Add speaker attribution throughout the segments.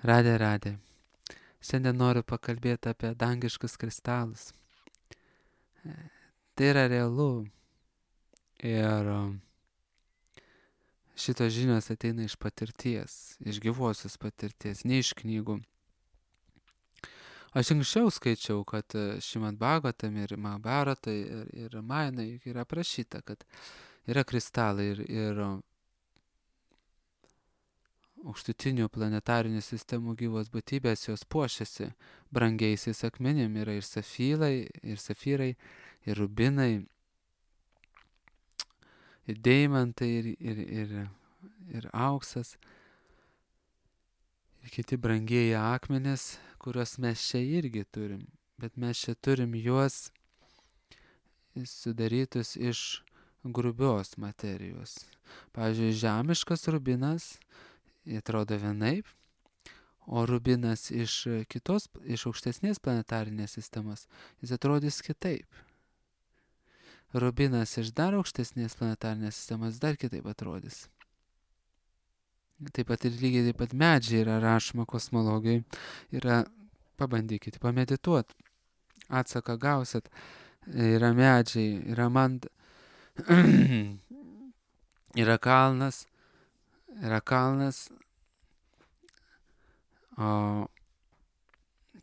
Speaker 1: Radė. Šiandien noriu pakalbėti apie dangiškus kristalus. Tai yra realu ir šitos žinios ateina iš patirties, iš gyvosios patirties, ne iš knygų. Aš anksčiau skaičiau, kad Šrimad Bhagavatam ir Mahabharatai ir Ramayana yra aprašyta, kad yra kristalai ir aukštutinių planetarinių sistemų gyvos būtybės, jos puošiasi brangiaisiais akmenim, yra ir safyrai, ir rubinai, ir deimantai, ir auksas, ir kiti brangieji akmenys, kuriuos mes čia irgi turim, bet mes čia turim juos sudarytus iš grubios materijos. Pavyzdžiui, žemiškas rubinas atrodo vienaip, o rubinas iš aukštesnės planetarinės sistemos, jis atrodys kitaip. Rubinas iš dar aukštesnės planetarinės sistemos dar kitaip atrodys. Taip pat ir lygiai taip pat medžiai yra rašoma kosmologijai. Pabandykite pamedituoti. Atsaką gausit. Yra medžiai, yra kalnas,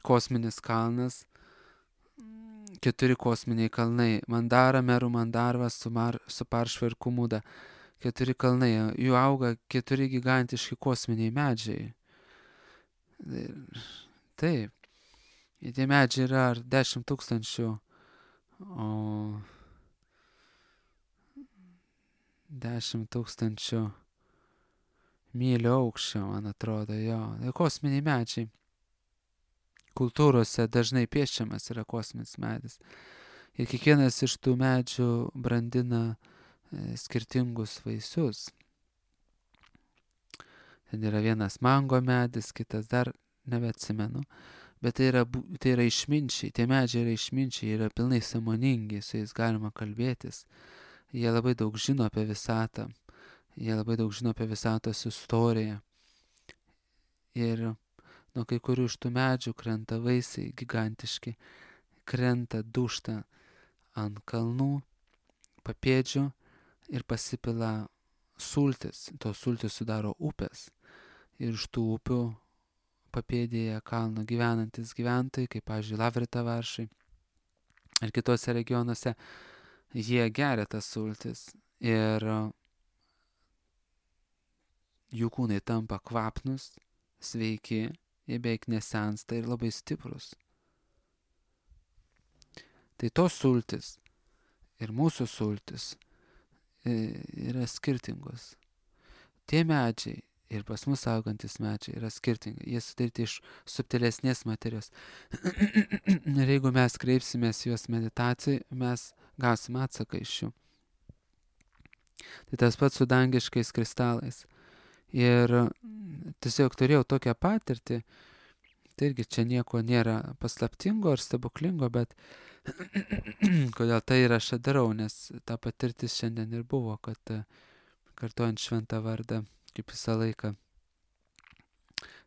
Speaker 1: kosminis kalnas, 4 kosminiai kalnai, Mandara, Meru, Mandarva, Suparšva ir Kumuda. 4 kalnai, jų auga 4 gigantiški kosminiai medžiai. Taip. Ir tie medžiai yra 10 tūkstančių, 10 tūkstančių mylių aukščio, man atrodo, jo. Kosminiai medžiai. Kultūrose dažnai piešiamas yra kosminis medis. Ir kiekvienas iš tų medžių brandina skirtingus vaisius. Ten yra vienas mango medis, kitas dar nebeatsimenu. Bet tai yra išminčiai, tie medžiai yra išminčiai, yra pilnai sąmoningi, su jais galima kalbėtis. Jie labai daug žino apie visatą, jie labai daug žino apie visatos istoriją. Ir nuo kai kurių iš tų medžių krenta vaisiai gigantiški, krenta, dūžta ant kalnų, papėdžių ir pasipila sultis. Tos sultis sudaro upės. Ir iš tų upių papėdėje kalno gyvenantis gyventojai, kaip, pavyzdžiui, Lavrita varšai ir kitose regionuose, jie geria tas sultis ir jų kūnai tampa kvapnus, sveiki, jie beveik nesensta ir labai stiprus. Tai tos sultis ir mūsų sultis yra skirtingos. Tie medžiai ir pas mus augantis medžiai yra skirtingi. Jie sudaryti iš subtilesnės materijos. Ir jeigu mes kreipsimės juos meditacijai, mes gausim atsaką iš jų. Tai tas pats su dangiškais kristalais. Ir tiesiog turėjau tokią patirtį, tai irgi čia nieko nėra paslaptingo ar stebuklingo, bet kodėl tai ir aš darau, nes ta patirtis šiandien ir buvo, kad kartuojant šventą vardą, kaip visą laiką,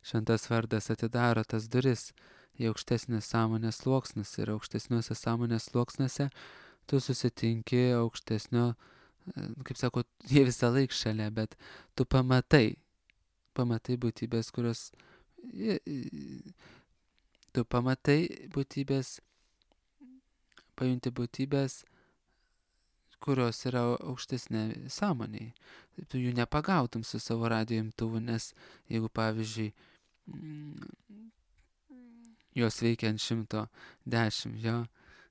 Speaker 1: šventas vardas atidaro tas duris į aukštesnės sąmonės sluoksnius ir aukštesniuose sąmonės sluoksniuose tu susitinki aukštesnio, kaip sako, jie visą laiką šalia, bet tu pamatai būtybės, kurios tu pamatai būtybės, pajunti būtybės, kurios yra aukštesnė sąmonėje. Tu jų nepagautum su savo radijo imtuvu, nes jeigu, pavyzdžiui, jos veikia ant 110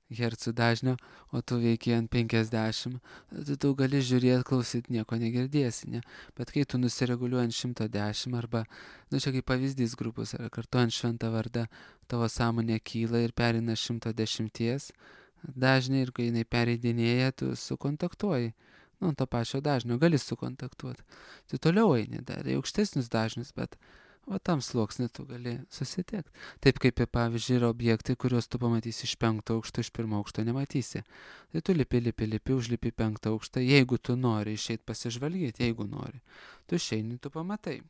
Speaker 1: hercų dažnio, o tu veiki ant 50, tu gali žiūrėti, klausyti, nieko negirdėsi, ne? Bet kai tu nusireguliuoji ant 110 arba, čia kaip pavyzdys grupus, yra kartuojant šventą vardą, tavo sąmonė kyla ir perina 110 dažnį ir kai jinai pereidinėja, tu sukontaktuoji. To pačio dažnio gali sukontaktuoti. Tu toliau eini dar į aukštesnius dažnius, bet tam sluoksnį tu gali susitikti. Taip kaip, pavyzdžiui, yra objektai, kuriuos tu pamatysi iš 5 aukšto, iš 1 aukšto nematysi. Tai tu lipi, užlipi 5 aukštą, jeigu tu nori išeiti pasižvalgyti, jeigu nori. Tu išeini, tu pamatai.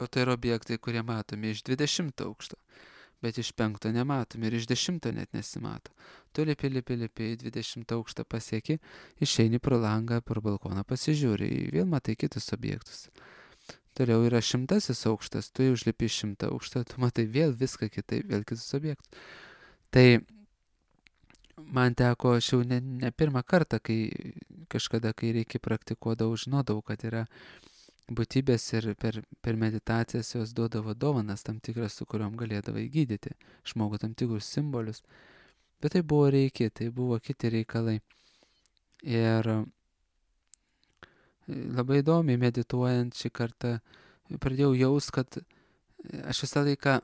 Speaker 1: O tai yra objektai, kurie matomi iš 20 aukšto, bet iš 5 nematomi ir iš 10 net nesimato. Tu lipi į 20 aukštą pasieki, išeini pro langą, pro balkoną pasižiūri, vėl matai kitus objektus. Toliau yra 100 aukštas, tu jau užlipi į 100 aukštą, tu matai vėl viską kitaip, vėl kitus objektus. Tai man teko, aš jau ne pirmą kartą, kai reikia praktikuodavau, žinodavau, kad yra būtybės ir per meditacijas jos duodavo dovanas tam tikras, su kuriuom galėdavai gydyti žmogų, tam tikrus simbolius. Bet tai buvo kiti reikalai. Ir labai įdomiai medituojant šį kartą pradėjau jaust, kad aš visą laiką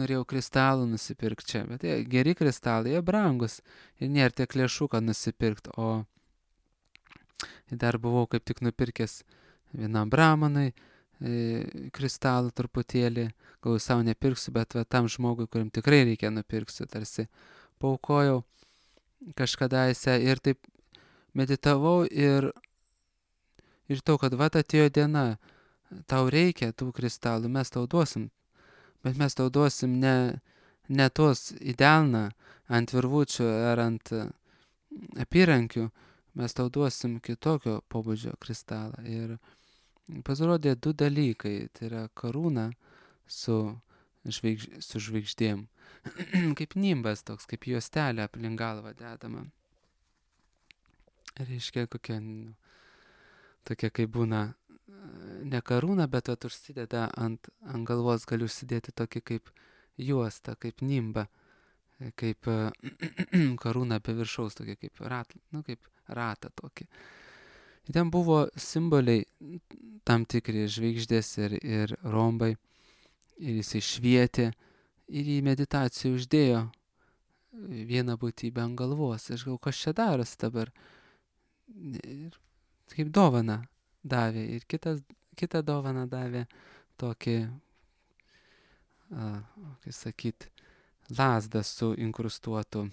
Speaker 1: norėjau kristalų nusipirkti čia, bet geri kristalai, jie brangus ir nėra tiek lėšų, kad nusipirkti, o dar buvau kaip tik nupirkęs vienam bramanui kristalų truputėlį, gal savo nepirksiu, bet tam žmogui, kuriam tikrai reikia nupirksiu, tarsi paaukojau kažkadaise ir taip meditavau ir to, kad atėjo diena, tau reikia tų kristalų, mes tau duosim, bet mes tau duosim ne tuos į delną ant virvučių ar ant apyrankių, mes tau duosim kitokio pobūdžio kristalą. Ir pasirodė 2 dalykai, tai yra karūna su žvaigždėm, kaip nimbas toks, kaip juostelė aplink galvą dedama. Reiškia tokia kaip būna ne karūna, bet užsideda ant galvos, gali užsidėti tokį kaip juostą, kaip nimbą, kaip karūna apie viršaus, tokia kaip ratą tokį. Ir ten buvo simboliai tam tikri žvaigždės ir rombai, ir jisai švietė, ir į meditaciją uždėjo vieną būtybę ant galvos. Aš galvoju, kas čia darosi dabar? Ir kaip dovaną davė, ir kitą dovaną davė tokį, kaip sakyt, lazdą su inkrustuotu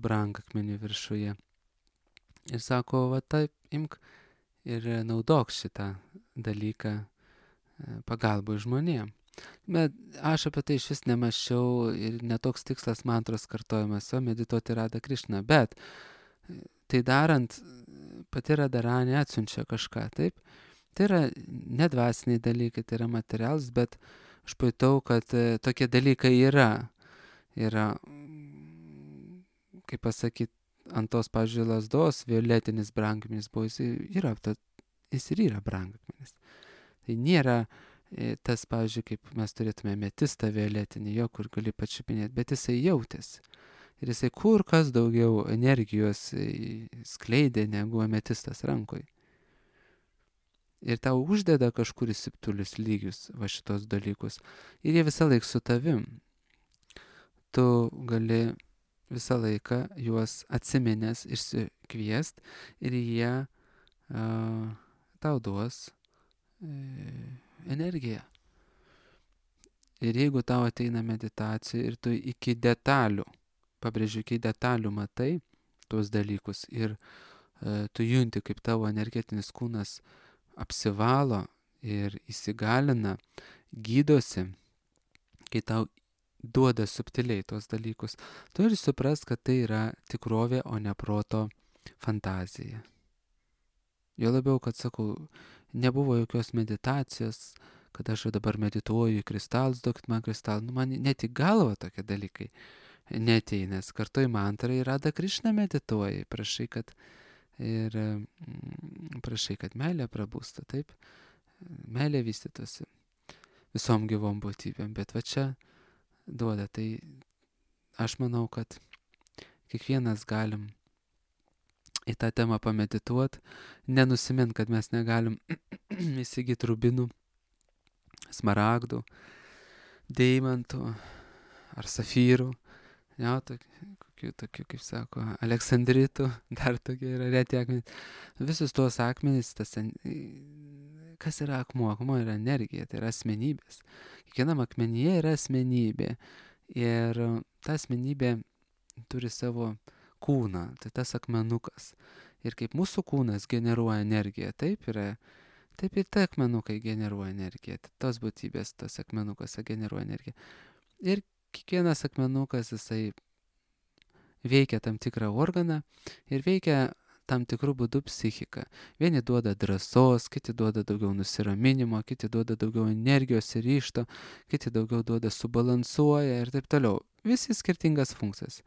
Speaker 1: brangakmeniu viršuje. Ir sako, taip, imk ir naudok šitą dalyką pagalbai žmonėm. Bet aš apie tai iš vis nemaščiau ir netoks tikslas mantros kartojimas, o medituoti Radha Krišną. Bet tai darant, pati Radharani atsiunčia kažką, taip? Tai yra nedvasiniai dalykai, tai yra materialus, bet aš pajutau, kad tokie dalykai yra, kaip pasakyti, ant tos, pavyzdžiui, lazdos violetinis brangakmenis buvo, jis ir yra brangakmenis. Tai nėra tas, pavyzdžiui, kaip mes turėtume ametistą violetinį, jo, kur gali pačiupinėti, bet jisai jautėsi. Ir jisai kur kas daugiau energijos skleidė negu ametistas rankoje. Ir tau uždeda kažkur į subtilius lygius va šitos dalykus. Ir jie visą laiką su tavim. Tu gali visą laiką juos atsiminęs išsikviest ir jie tau duos energiją. Ir jeigu tau ateina meditacija ir tu iki detalių, pabrėžiu, iki detalių matai tuos dalykus ir tu junti, kaip tavo energetinis kūnas apsivalo ir įsigalina, gydosi, kai tau duoda subtiliai tuos dalykus, tu ir supras, kad tai yra tikrovė, o ne proto fantazija. Jo labiau, kad sakau, nebuvo jokios meditacijos, kad aš jau dabar medituoju į kristalus, duokit man kristalų. Man net į galvą tokie dalykai neateina, nes kartu į mantrą ir Radha Krišną medituoji, prašai, kad meilė prabūsta, taip, meilė vystytųsi visom gyvom būtybėm, bet va čia duoda. Tai aš manau, kad kiekvienas galim į tą temą pamedituot, nenusimint, kad mes negalim įsigyti rubinų, smaragdų, deimantų ar safyrų, jo, tokių, kaip sako, aleksandritų, dar tokie yra reti akmenys. Visus tuos akmenys, kas yra akmuo? Akmuo yra energija, tai yra asmenybės. Kiekvienam akmenyje yra asmenybė ir ta asmenybė turi savo kūną, tai tas akmenukas. Ir kaip mūsų kūnas generuoja energiją, taip yra taip ir tie akmenukai generuoja energiją. Tos būtybės, tos akmenukuose generuoja energiją. Ir kiekvienas akmenukas, jisai veikia tam tikrą organą ir veikia tam tikrų būdų psichiką. Vieni duoda drąsos, kiti duoda daugiau nusiraminimo, kiti duoda daugiau energijos ir ryžto, kiti daugiau duoda subalansuoja ir taip toliau. Visi skirtingas funkcijas.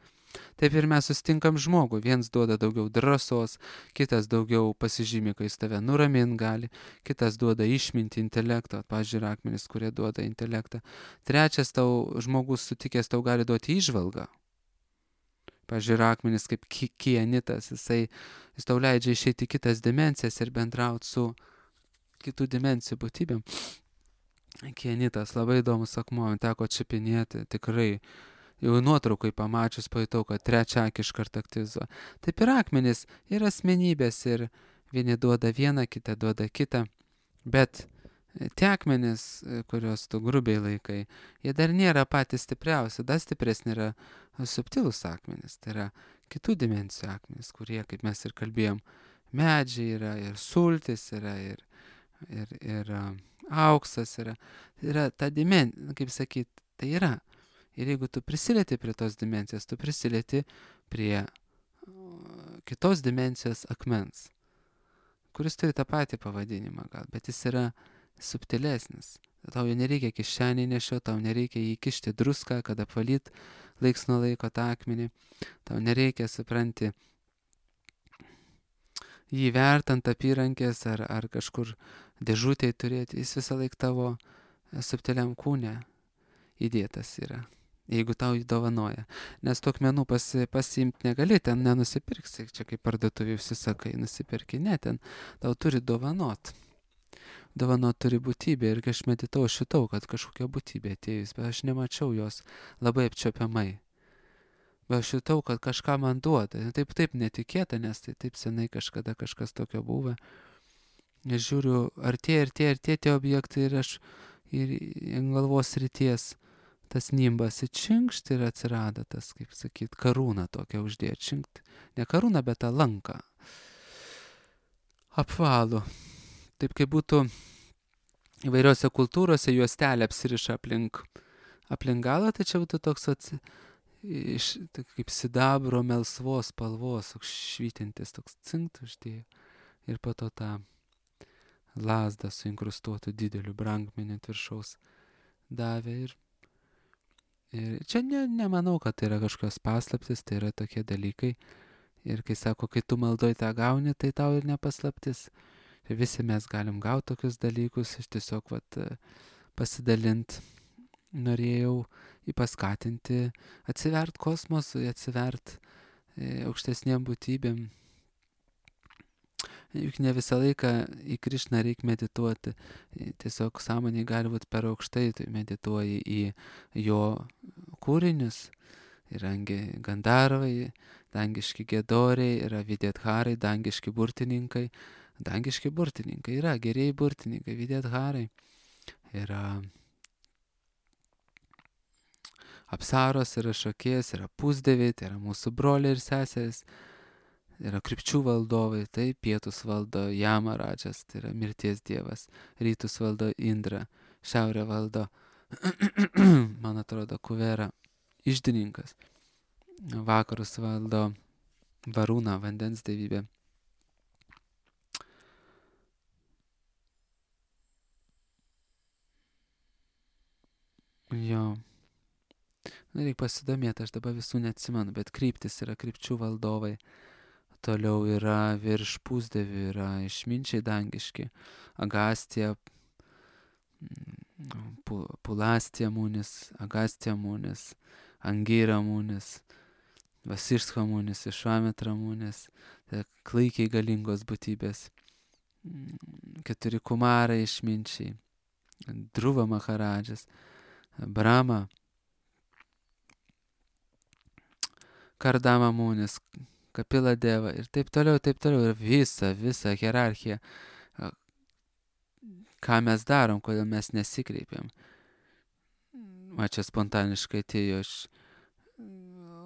Speaker 1: Taip ir mes sustinkam žmogų. Viens duoda daugiau drąsos, kitas daugiau pasižymi, kai jis tave nuramint gali, kitas duoda išmintį, intelektą, pavyzdžiui, akmenys, kurie duoda intelektą. Trečias tau žmogus sutikęs tau gali duoti įžvalgą. Pavyzdžiui, akmenys kaip kianitas, jis tau leidžia išeiti į kitas dimensijas ir bendrauti su kitų dimensijų būtybėm. Kianitas, labai įdomus akmuo, teko čiupinėti, tikrai. Jau nuotraukai pamačius pajutau, kad trečią akį iškart aktyvizuoja. Taip ir akmenys yra asmenybės ir vieni duoda vieną, kitą duoda kitą, bet tie akmenys, kuriuos tu grubiai laikai, jie dar nėra patys stipriausi, dar stipresni yra subtilūs akmenys, tai yra kitų dimensijų akmenys, kurie, kaip mes ir kalbėjom, medžiai yra ir sultis yra ir auksas yra ta dimensija, kaip sakyt, tai yra. Ir jeigu tu prisilieti prie tos dimensijos, tu prisilieti prie kitos dimensijos akmens, kuris turi tą patį pavadinimą gal, bet jis yra subtilesnis. Tau jo nereikia kišenį nešio, tau nereikia jį kišti druską, kad apvalyt laiks nuo laiko tą akmenį. Tau nereikia, supranti, jį vertant apyrankės ar kažkur dėžutėj turėti. Jis visą laiką tavo subtiliam kūne įdėtas yra. Jeigu tau jį dovanoja. Nes tų akmenų pasiimti negali, ten nenusipirksi. Čia kaip parduotuvė užsisakai, nusipirki, ne, ten tau turi dovanot. Dovanot turi būtybė ir kai aš meditau, aš jutau, kad kažkokia būtybė atėjus, bet aš nemačiau jos labai apčiopiamai. Bet aš jutau, kad kažką man duoda. Taip netikėta, nes tai taip senai kažkada kažkas tokio buvo. Aš žiūriu, artėja tie objektai ir aš ir galvos ryties tas nimbas įčinkšt ir atsirado tas, kaip sakyt, karūna tokia uždėt činkt. Ne karūna, bet tą lanką. Apvalų. Taip kaip būtų įvairiose kultūrose juostelė apsiriša aplink galą, tai čia būtų toks kaip sidabro melsvos spalvos, švytintis toks cinkt uždėjo. Ir po to tą lazdą su inkrustuotu dideliu brangmeniu ant viršaus davė. Ir čia nemanau, kad tai yra kažkokios paslaptis, tai yra tokie dalykai. Ir kai sako, kai tu maldoj tą gauni, tai tau ir nepaslaptis. Ir visi mes galim gauti tokius dalykus, aš tiesiog pasidalint norėjau paskatinti, atsivert kosmosui, atsivert aukštesniem būtybėm. Juk ne visą laiką į Krišną reikia medituoti, tiesiog sąmonė gali būti per aukštai, tai medituoji į jo kūrinius, yra gandarvai, dangiški gedoriai, yra videtharai, dangiški burtininkai. Dangiški burtininkai yra gerieji burtininkai, videtharai, yra apsaros, yra šokėjas, yra pusdeviai, tai yra mūsų broliai ir seserys. Yra krypčių valdovai, tai pietus valdo Jamaradžas, tai yra mirties dievas, rytus valdo Indra, šiaurę valdo, man atrodo, Kuvera, iždininkas, vakarus valdo Varūna, vandens dievybė. Jo. Reikia pasidomėti, aš dabar visų neatsimenu, bet kryptis yra krypčių valdovai. Toliau yra virš pusdevių, yra išminčiai dangiški, Agastija, Pulastija mūnis, Agastija mūnis, Angira mūnis, Vasištha mūnis, Išvamitra mūnis, tai klaikiai galingos būtybės, 4 kumarai išminčiai, Dhruva Maharadžas, Brahma, Kardama mūnis, Kapila Deva ir taip toliau, ir visa hierarchija. Ką mes darom, kodėl mes nesikreipiam. Man čia spontaniškai atėjo, aš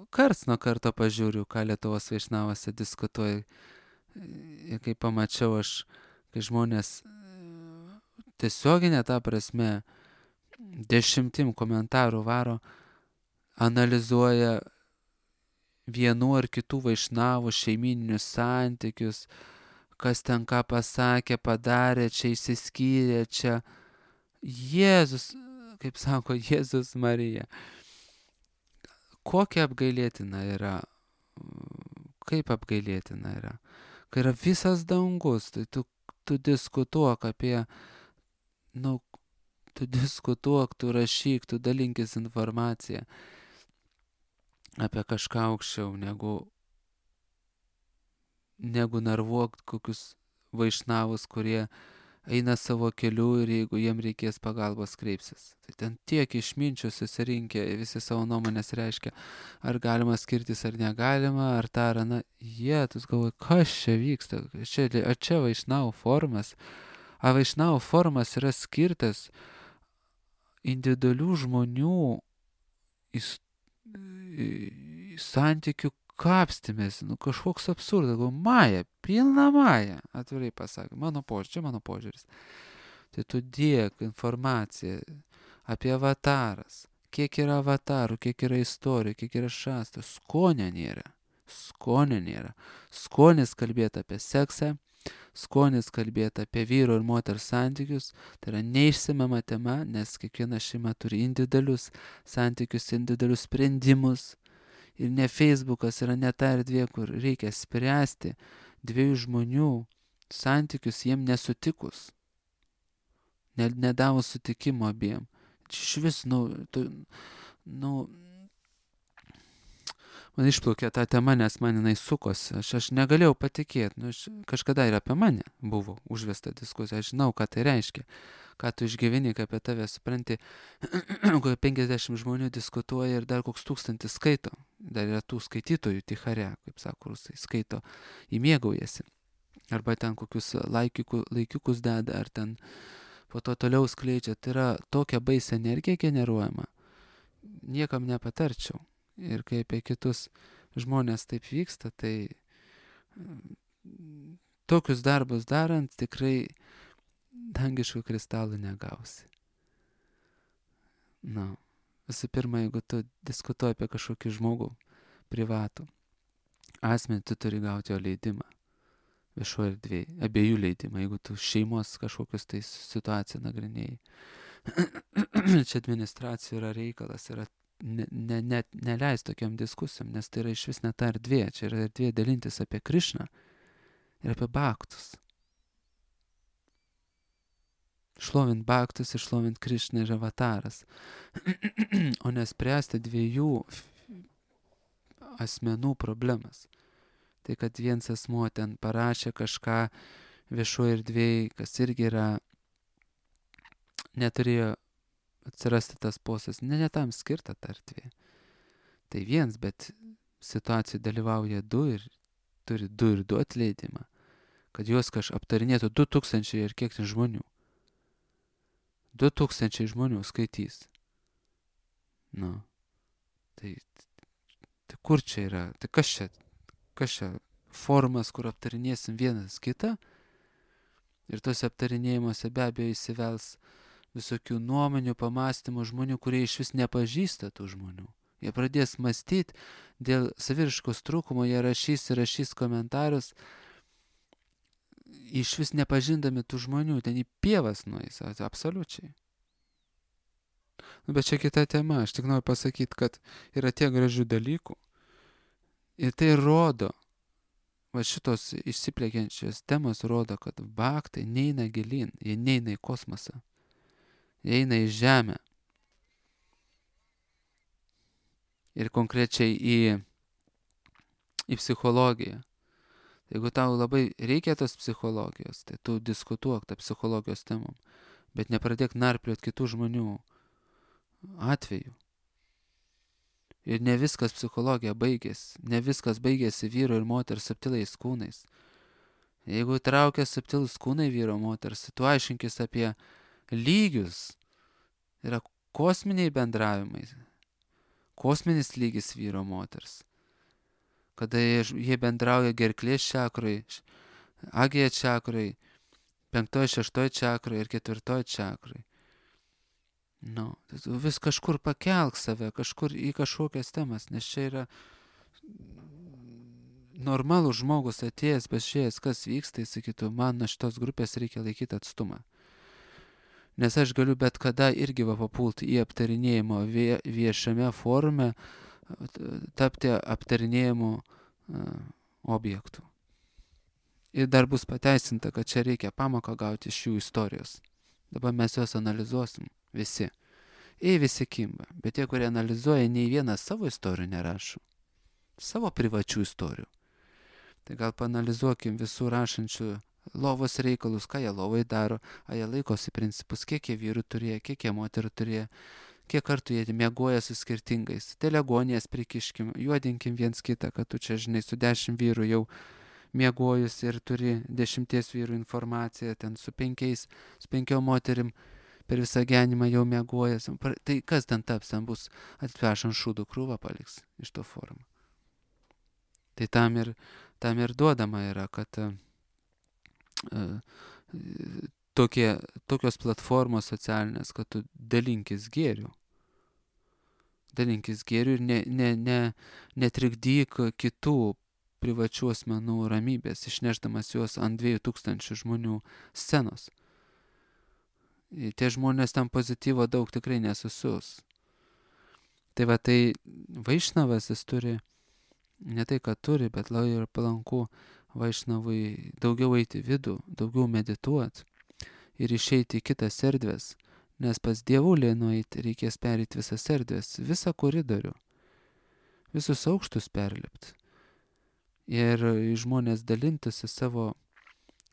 Speaker 1: karts nuo karto pažiūriu, ką Lietuvos vaišnavose diskutuoja. Ir kai pamačiau kai žmonės tiesioginė ta prasme 10 komentarų varo, analizuoja vienų ar kitų vaišnavų šeimyninius santykius, kas ten ką pasakė, padarė, čia išsiskyrė, čia Jėzus, kaip sako Jėzus Marija. Kokia apgailėtina yra, kaip apgailėtina yra. Kai yra visas dangus, tai tu diskutuok apie, tu diskutuok, tu rašyk, tu dalinkis informaciją apie kažką aukščiau, negu nervuok kokius vaišnavus, kurie eina savo keliu ir jeigu jiem reikės pagalbos kreipsis. Tai ten tiek išminčių susirinkę, visi savo nuomonės reiškia, ar galima skirtis ar negalima, ar tą ar aną. Tu galvoji, kas čia vyksta, ar čia vaišnavų formas? Ar vaišnavų formas yra skirtas individualių žmonių santykių kapstymės, kažkoks absurdas, Maja, pilna Maja, atvirai pasakė, čia mano požiūris. Tai tu dėk informaciją apie avataras, kiek yra avatarų, kiek yra istorijų, kiek yra šastų, skonio nėra. Skonis kalbėti apie seksą, skonis kalbėti apie vyro ir moters santykius, tai yra neišsemiama tema, nes kiekviena šeima turi individualius santykius, individualius sprendimus. Ir ne Facebookas yra ne ta erdvė, kur reikia spręsti dviejų žmonių santykius jiem nesutikus. Nedavus sutikimo abiem. Iš vis, man išplaukė ta tema, nes man jinai sukosi. Aš negalėjau patikėti. Kažkada ir apie mane buvo užvesta diskusija. Aš žinau, ką tai reiškia. Ką tu išgyveni, ką apie tave supranti. 50 žmonių diskutuoja ir dar koks 1000 skaito. Dar yra tų skaitytojų tichare, kaip sako rusai, skaito, įmėgaujasi. Arba ten kokius laikiukus deda, ar ten po to toliau skleidžia. Tai yra tokia baisi energija generuojama. Niekam nepatarčiau. Ir kai apie kitus žmonės taip vyksta, tai tokius darbus darant tikrai dangiškų kristalų negausi. Visų pirma, jeigu tu diskutuoji apie kažkokį žmogų privatų asmenį, tu turi gauti jo leidimą viešoje erdvėje, abiejų leidimą, jeigu tu šeimos kažkokius tai situaciją nagrinėjai. Čia administracijų yra reikalas, yra neleis tokiam diskusijom, nes tai yra iš vis ne ta erdvė, čia yra erdvė dalintis apie Krišną ir apie baktus. Šlovint baktus ir šlovint Krišną ir avataras, o nespręsti dviejų asmenų problemas. Tai kad vienas asmuo ten parašė kažką viešoje erdvėje, kas irgi yra, neturėjo atsirasti tas postas, ne tam skirta ta erdvė. Tai vienas, bet situacijai dalyvauja du ir turi 2 ir 2 atleidimą, kad juos aptarinėtų 2000 ir kiek ten žmonių. 2000 žmonių skaitys. Tai kur čia yra? Tai kas čia formas, kur aptarinėsim vienas kitą? Ir tose aptarinėjimuose be abejo įsivels visokių nuomonių, pamastymų žmonių, kurie iš vis nepažįsta tų žmonių. Jie pradės mąstyti dėl saviraiškos trūkumo, jie rašys komentarus, iš vis nepažindami tų žmonių, ten į pievas nueis, absoliučiai. Bet čia kita tema, aš tik noriu pasakyti, kad yra tiek gražių dalykų. Ir tai rodo, šitos išsiplėkiančios temos rodo, kad baktai neina gilin, jie neina į kosmosą, jie eina į Žemę. Ir konkrečiai į psichologiją. Jeigu tau labai reikia tos psichologijos, tai tu diskutuok tą psichologijos temom, bet nepradėk narplioti kitų žmonių atvejų. Ir ne viskas psichologija baigėsi, ne viskas baigėsi vyro ir moters subtiliais kūnais. Jeigu traukia subtilus kūnai vyro moters, tu aiškinkis apie lygius, yra kosminiai bendravimai, kosminis lygis vyro moters. Kada jie bendrauja gerklės čakrai, agija čakrai, 5, 6 čakrai ir 4 čakrai. Nu, tu vis kažkur pakelk save, kažkur į kažkokias temas, nes čia yra normalus žmogus atėjęs, pasižiūrėjęs, kas vyksta, jis sakytų, man nuo šitos grupės reikia laikyti atstumą. Nes aš galiu bet kada irgi papulti į aptarinėjimo viešame forume, tapti aptarinėjimo objektų. Ir dar bus pateisinta, kad čia reikia pamoką gauti iš jų istorijos. Dabar mes juos analizuosim visi. Visi kimba. Bet tie, kurie analizuoja, nei vienas savo istorijų nerašo. Savo privačių istorijų. Tai gal paanalizuokim visų rašančių lovos reikalus, ką jie lovai daro, ar jie laikosi principus, kiek jie vyrų turėjo, kiek jie moterų turėjo, kiek kartų jie miegoja su skirtingais. Telegonijas prikiškim, juodinkim viens kitą, kad tu čia, žinai, su 10 vyrų jau miegojus ir turi 10 vyrų informaciją, ten su 5 moterim per visą gyvenimą jau miegojęs. Tai kas ten taps, ten bus atvežant šūdų krūvą paliks iš to forumo. Tai tam ir duodama yra, kad tokios platformos socialinės, kad tu dalinkis gėriu. Dalinkis gėriu ir netrikdyk kitų privačių asmenų ramybės, išnešdamas juos ant 2000 žmonių scenos. Tie žmonės tam pozityvo daug tikrai nesusius. Tai va, tai Vaišnavas jis turi, ne tai, kad turi, bet labai yra palanku Vaišnavui daugiau eiti vidų, daugiau medituoti ir išeiti į kitas erdves, nes pas Dievulį nueiti reikės perėti visas erdves, visą koridorių, visus aukštus perlipti. Ir žmonės dalintųsi savo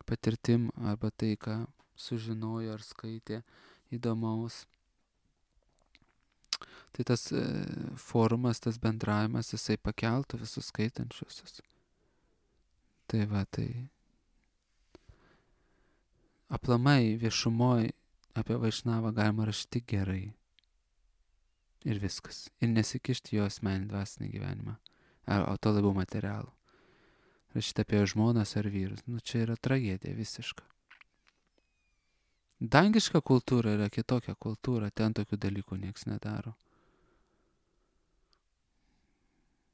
Speaker 1: patirtim arba tai, ką sužinojo ar skaitė įdomaus. Tai tas forumas, tas bendravimas, jisai pakeltų visus skaitančiusius. Tai va, tai aplamai viešumoj apie Vaišnavą galima rašyti gerai. Ir viskas. Ir nesikišti jo asmeninį dvasinį gyvenimą. O to labiau materialų. Rašyti apie žmonas ar vyrus. Nu, čia yra tragedija visiška. Dangiška kultūra yra kitokia kultūra. Ten tokių dalykų nieks nedaro.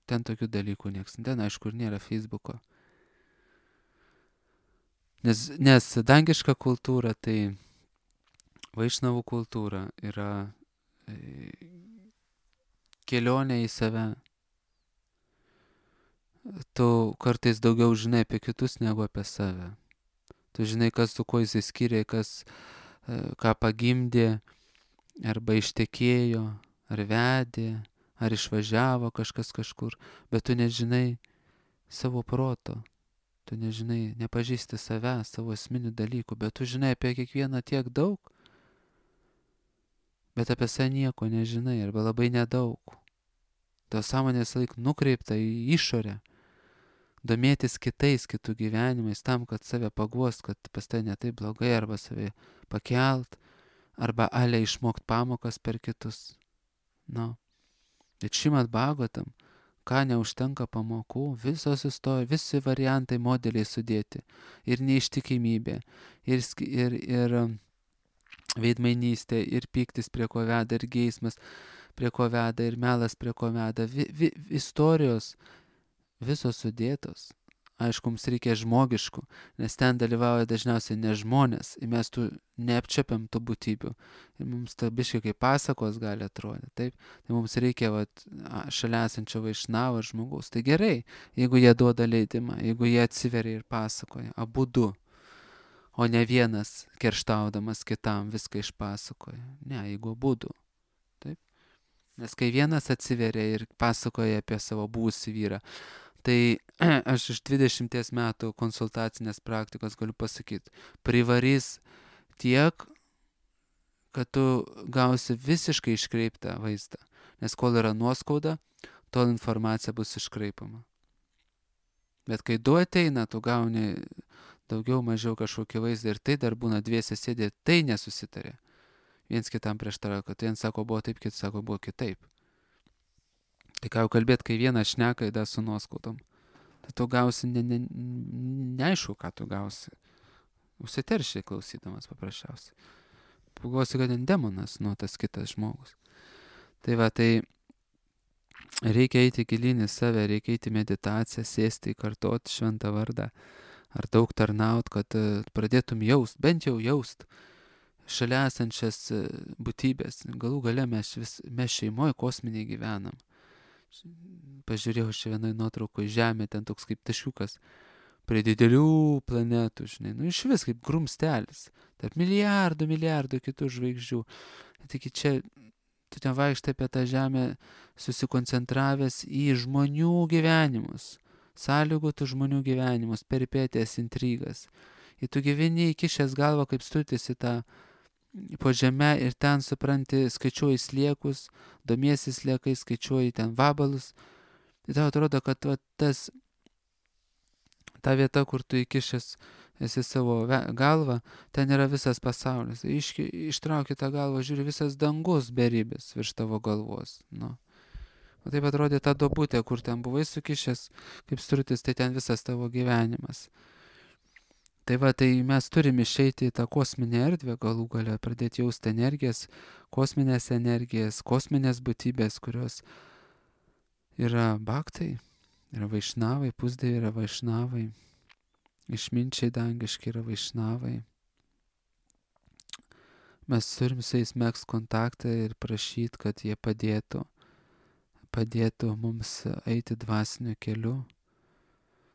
Speaker 1: Ten aišku, ir nėra Facebooko. Nes dangiška kultūra, tai Vaišnavų kultūra yra kelionė į save. Tu kartais daugiau žinai apie kitus negu apie save. Tu žinai, kas su kuo įsiskyrė, kas ką pagimdė, arba ištekėjo, ar vedė, ar išvažiavo kažkas kažkur, bet tu nežinai savo proto. Tu nežinai, nepažįsti savęs, savo esminių dalykų, bet tu žinai apie kiekvieną tiek daug, bet apie save nieko nežinai, arba labai nedaug. Tavo sąmonės laik nukreipta į išorę, domėtis kitais, kitų gyvenimais, tam, kad save paguost, kad pas tai ne taip blogai, arba save pakelt, arba išmokt pamokas per kitus. No. Bet Šrimad Bhagavatam, ką neužtenka pamokų, visos istorijos, visi variantai, modeliai sudėti. Ir neištikimybė, ir veidmainystė, ir pyktis, prie ko veda, ir geismas, prie ko veda, ir melas, prie ko veda. Istorijos visos sudėtos. Aišku, mums reikia žmogiškų, nes ten dalyvauja dažniausiai ne žmonės, ir mes tų neapčiapiam tų būtybių. Ir mums ta biškai kaip pasakos gali atrodyti, taip? Tai mums reikia šalia esančio Vaišnavo žmogaus. Tai gerai, jeigu jie duoda leidimą, jeigu jie atsiveria ir pasakoja, abudu, o ne vienas kerštaudamas kitam viską išpasakoja. Ne, jeigu abudu. Taip? Nes kai vienas atsiveria ir pasakoja apie savo buvusį vyrą, tai aš iš 20 metų konsultacinės praktikos galiu pasakyti, privarys tiek, kad tu gausi visiškai iškreiptą vaizdą. Nes kol yra nuoskauda, tol informacija bus iškreipama. Bet kai du ateina, tu gauni daugiau mažiau kažkokį vaizdą ir tai dar būna dviese sėdė, tai nesusitarė. Viens kitam prieštarauja, kad viens sako buvo taip, kitas sako buvo kitaip. Tai ką jau kalbėt, kai vienas šneka įda su nuoskaudom. Tai tu gausi neaišku, ką tu gausi. Užsiterši klausydamas paprasčiausiai. Pagalvosi, kad ten demonas, tas kitas žmogus. Tai va, tai reikia eiti gilyn į save, reikia eiti meditaciją, sėsti, kartoti šventą vardą, ar daug tarnaut, kad pradėtum jaust, bent jau jaust šalia esančias būtybės. Galų gale mes šeimoje kosminiai gyvenam. Pažiūrėjau čia vienoj nuotraukoje Žemė, ten toks kaip taškiukas prie didelių planetų, žinai, iš vis kaip grumstelis, tarp milijardų kitų žvaigždžių. Tik čia tu ten vaikštai apie tą Žemę susikoncentravęs į žmonių gyvenimus, sąlygotų žmonių gyvenimus, peripetijas, intrigas. Ir tu gyveni įkišęs galvą kaip stutis į tą po žemę ir ten supranti, skaičiuoji sliekus, domiesi sliekai, skaičiuoji ten vabalus. Ir tau atrodo, kad ta vieta, kur tu įkišęs esi savo galvą, ten yra visas pasaulis. Ištrauki tą galvą, žiūri, visas dangus beribis virš tavo galvos. O taip atrodė ta duobutė, kur ten buvai sukišęs kaip strutis, tai ten visas tavo gyvenimas. Tai va, tai mes turime išeiti į tą kosminę erdvę, galų gale pradėti jausti energijas, kosminės būtybės, kurios yra baktai, yra vaišnavai, pusdieviai yra vaišnavai, išminčiai dangiški yra vaišnavai. Mes turim su jais megzti kontaktą ir prašyti, kad jie padėtų mums eiti dvasiniu keliu.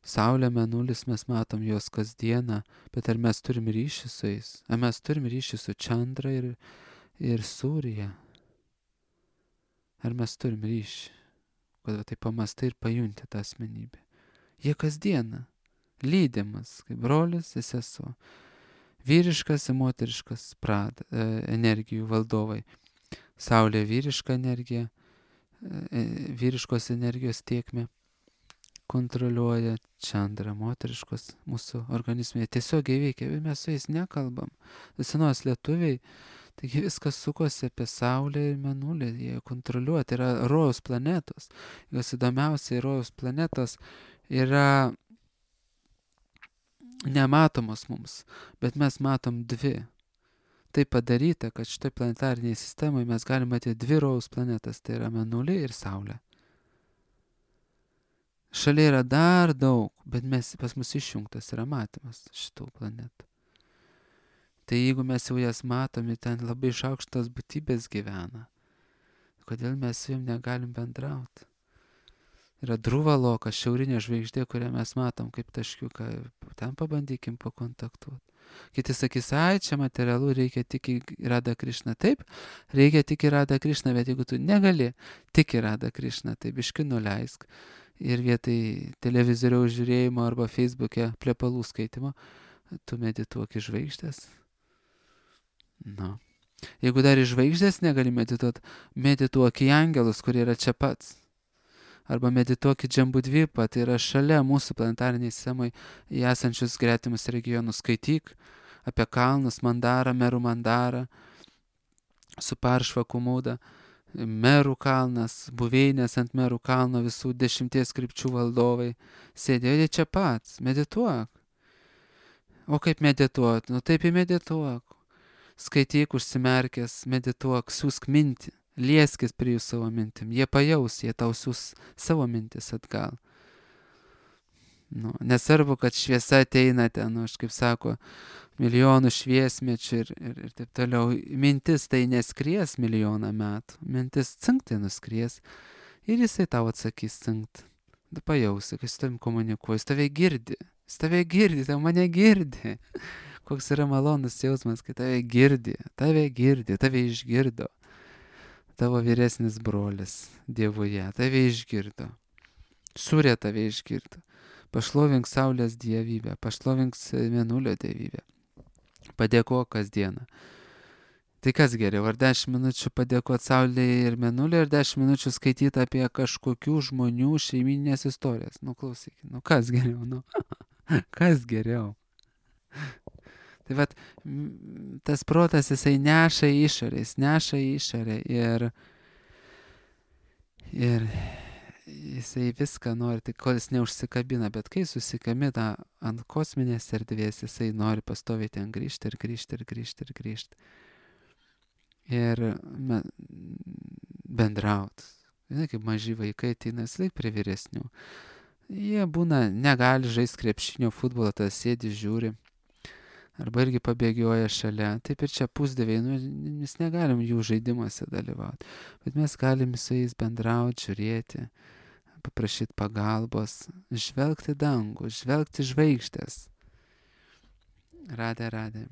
Speaker 1: Saulė, mėnulis, mes matom juos kasdieną, bet ar mes turim ryšį su jais? Ar mes turim ryšį su Čandra ir Surija? Ar mes turim ryšį? Kad tai pamastai ir pajunti tą asmenybę. Jie kasdieną lydimas, kaip brolis ir sesuo. Vyriškas ir moteriškas energijų valdovai. Saulė vyriška energija, vyriškos energijos tiekmė kontroliuoja, Čandra moteriškos mūsų organizme. Tiesiogiai veikia, mes su jais nekalbam. Senos lietuviai, taigi viskas sukosi apie Saulę ir Mėnulį, jie kontroliuoja, tai yra rojaus planetos. Jos įdomiausiai rojaus planetos yra nematomos mums, bet mes matom dvi. Tai padaryta, kad šitoj planetariniai sistemai mes galime matyti dvi rojaus planetas, tai yra Mėnulį ir Saulę. Šalia yra dar daug, bet pas mus išjungtas yra matymas šitų planetų. Tai jeigu mes jau jas matome, ten labai išaukštos būtybės gyvena. Kodėl mes su jom negalim bendrauti? Yra Druvaloka, šiaurinė žvaigždė, kurią mes matom kaip taškiuką. Ten pabandykim pakontaktuoti. Kiti sakys, čia materialu, reikia tik į Radha Krishną. Taip, reikia tik į Radha Krishną, bet jeigu tu negali tik į Radha Krishną, tai biški nuleisk. Ir vietoj televizoriaus žiūrėjimo arba Facebook'e plepalų skaitimo, tu medituok į žvaigždės. Jeigu dar į žvaigždės negali medituoti, medituok į angelus, kurie yra čia pats. Arba medituok į Džambudvipą, tai yra šalia mūsų planetariniai sistemai į esančius gretimus regionus. Skaityk apie kalnus, Mandarą, Merų Mandarą, Suparšva Kumudą. Merų kalnas, buveinės ant Merų kalno, visų 10 krypčių valdovai sėdėjo čia pats, medituok. O kaip medituot? Taip medituok. Skaityk, užsimerkęs, medituok, siūsk mintį, lieskis prie jų savo mintim, jie pajaus, jie tau siūs savo mintis atgal. Nesvarbu, kad šviesa ateina ten, kaip sako, milijonų šviesmečių ir taip toliau. Mintis tai neskries milijoną metų. Mintis cinktai nuskries ir jisai tau atsakys cinkt. Tu pajausi, kai su tavim komunikuoji, jis tave girdi, tau mane girdi. Koks yra malonus jausmas, kai tave girdi, tave išgirdo. Tavo vyresnis brolis Dievuje, tave išgirdo. Surė tave išgirdo. Pašlovink Saulės dievybę, pašlovink Mėnulio dievybę. Padėkok kasdieną. Tai kas geriau, ar 10 minučių padėkoti Saulei ir Mėnuliui, ar 10 minučių skaityti apie kažkokių žmonių šeiminės istorijas? Klausykit, kas geriau, kas geriau? Tai vat, tas protas jisai neša į išorę ir jisai viską nori, tai kol jis neužsikabina, bet kai susikabina ant kosminės erdvės, jisai nori pastoviai ten grįžti ir grįžti ir grįžti ir grįžti. Ir bendraut. Žinai, kaip maži vaikai ateina visąlaik prie vyresnių. Jie būna, negali žaisti krepšinio futbolą, tada sėdi, žiūri. Arba irgi pabėgioja šalia. Taip ir čia pusdieviai, mes negalim jų žaidimuose dalyvauti. Bet mes galim su jais bendrauti, žiūrėti, paprašyti pagalbos, žvelgti dangų, žvelgti žvaigždės. Radė.